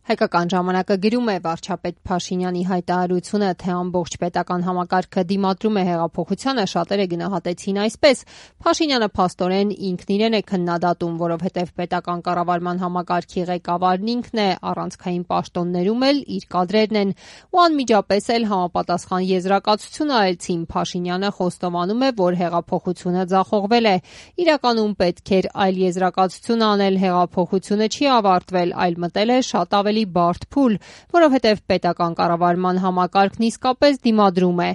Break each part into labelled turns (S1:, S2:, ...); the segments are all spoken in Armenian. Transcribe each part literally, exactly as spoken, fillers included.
S1: Հայկական ժամանակը գրում է վարչապետ Փաշինյանի հայտարարությունը, թե ամբողջ պետական համակարգը դիմադրում է հեղափոխությանը, շատերը գնահատեցին այսպես. Փաշինյանը փաստորեն ինքն իրեն է քննադատում, որովհետև պետական կառավարման համակարգի ղեկավարն ինքն է, առանցքային պաշտոններում էլ իր կադրերն են, ու անմիջապես էլ համապատասխան եզրակացություն արեցին. Փաշինյանը խոստովանում է, որ հեղափոխությունը ձախողվել է։ Իրականում պետք էր այլ եզրակացություն անել, հեղափոխությունը չի ավարտվել, այլ մտել է շատ ավելի բարդ փուլ, որովհետև պետական կառավարման համակարգն իսկապես դիմադրում է։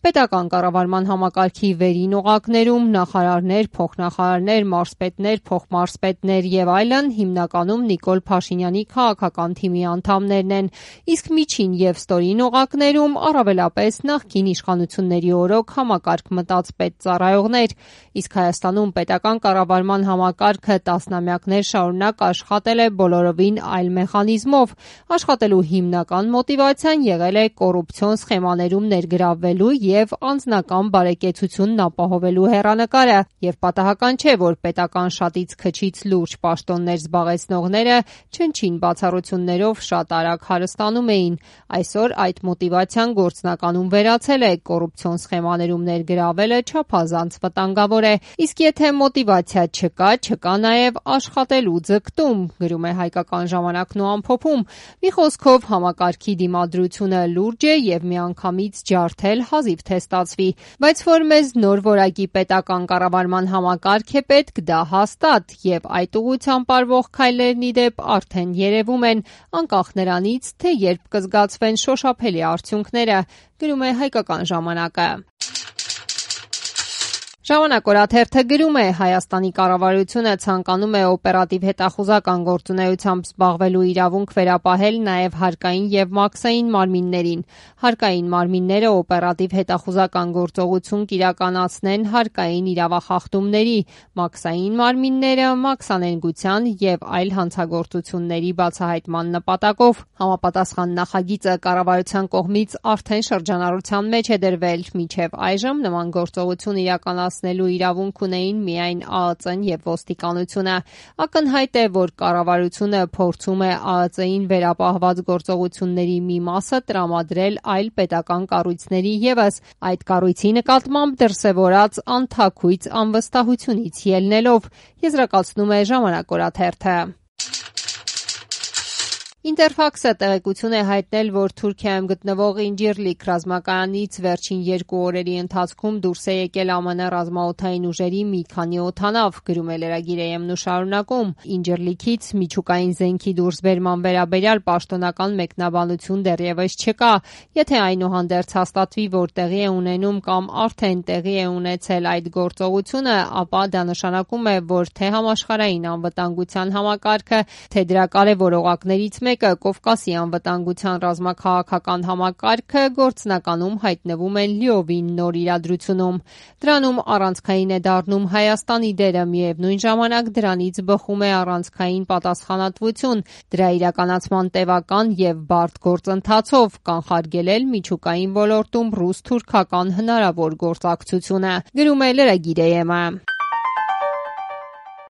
S1: Պետական կառավարման համակարգի վերին օղակներում նախարարներ, փոխնախարարներ, մարզպետներ, փոխմարզպետներ եւ այլն հիմնականում Նիկոլ Փաշինյանի քաղաքական թիմի անդամներն են, իսկ միջին եւ ստորին օղակներում առավելապես նախկին իշխանությունների օրոք համակարգ մտած պետծառայողներ։ Իսկ Հայաստանում պետական կառավարման համակարգը տասնամյակներ շարունակ աշխատել է բոլորովին այլ մեխանիզմով։ Աշխատելու հիմնական մոտիվացիան եղել է կոռուպցիոն սխեմաներում ներգրավվելու եւ անձնական բարեկեցությունն ապահովելու հեռանկարը, եւ պատահական չէ, որ պետական շատից քչից լուրջ պաշտոններ զբաղեցնողները չնչին բացառություններով շատ արագ հարստանում էին։ Այսօր այդ մոտիվացիան գործնականում վերացել է, կոռուպցիոն սխեմաներում ներգրավվելը չափազանց վտանգավոր է, իսկ եթե մոտիվացիա չկա, չկա նաեւ աշխատելու ձգտում, գրում է Հայկական ժամանակն ու ամփոփում։ Մի խոսքով համակարգի դիմադրությունը լուրջ է եւ միանգամից ջարդել հազիվ թե ստացվի, բայց որ մեզ նոր որակի պետական կառավարման համակարգ է պետք, դա հաստատ, եւ այդ ուղղությամբ արվող քայլերն ի դեպ արդեն երևում են, անկախ նրանից, թե երբ կզգացվեն շոշափելի արդյունքները, գրում է Հայկական ժամանակը։ Ժամանակ օրաթերթը գրում է. Հայաստանի կառավարությունը ցանկանում է օպերատիվ հետախուզական գործունեությամբ զբաղվելու իրավունք վերապահել նաև հարկային եւ մաքսային մարմիններին։ Հարկային մարմինները օպերատիվ հետախուզական գործողություն կիրականացնեն հարկային իրավախախտումների, մաքսային մարմինները մաքսանենգության եւ այլ հանցագործությունների բացահայտման նպատակով։ Համապատասխան նախագիծը կառավարության կողմից արդեն շրջանառության մեջ է դրվել։ Մինչև այժմ նման գործողություն իրականացնել նելու իրավունք ունեին միայն ԱԱԾ-ն եւ ոստիկանությունը։ Ակնհայտ է, որ կառավարությունը փորձում է ԱԱԾ-ին վերապահված գործողությունների մի մասը տրամադրել այլ պետական կառույցների եւս, այդ կառույցի նկատմամբ դրսեւորած անթաքույց անվստահությունից ելնելով, եզրակացնում է Ժամանակ օրաթերթը։ Ինտերֆաքսը տեղեկություն է հայտնել, որ Թուրքիայում գտնվող Ինջիրլիկ ռազմակայանից վերջին երկու օրերի ընթացքում դուրս է եկել ԱՄՆ ռազմաօդային ուժերի մի քանի օդանավ, գրում է լրագիր Է-Էմ-ն ու շարունակում. Ինջիրլիքից միջուկային զենքի դուրսբերման վերաբերյալ պաշտոնական մեկնաբանություն դեռևս չկա։ Եթե այնուհանդերձ հաստատվի, որ տեղի է ունենում կամ արդեն տեղի է ունեցել այդ գործողությունը, ապա դա նշանակում է, որ թե համաշխարհային անվտանգության համակարգը, թե դրա կարևոր օղակներից մեկը Կովկասի անվտանգության ռազմաքաղաքական համակարգը գործնականում հայտնվում են լիովին նոր իրադրությունում։ Դրանում առանցքային է դառնում Հայաստանի դերը, միևնույն ժամանակ դրանից բխում է առանցքային պատասխանատվություն, դրա իրականացման տևական եւ բարդ գործընթացով կանխարգելել միջուկային ոլորտում ռուս-թուրքական հնարավոր գործակցությունը, գրում է լրագիր Է-Էմ-ը։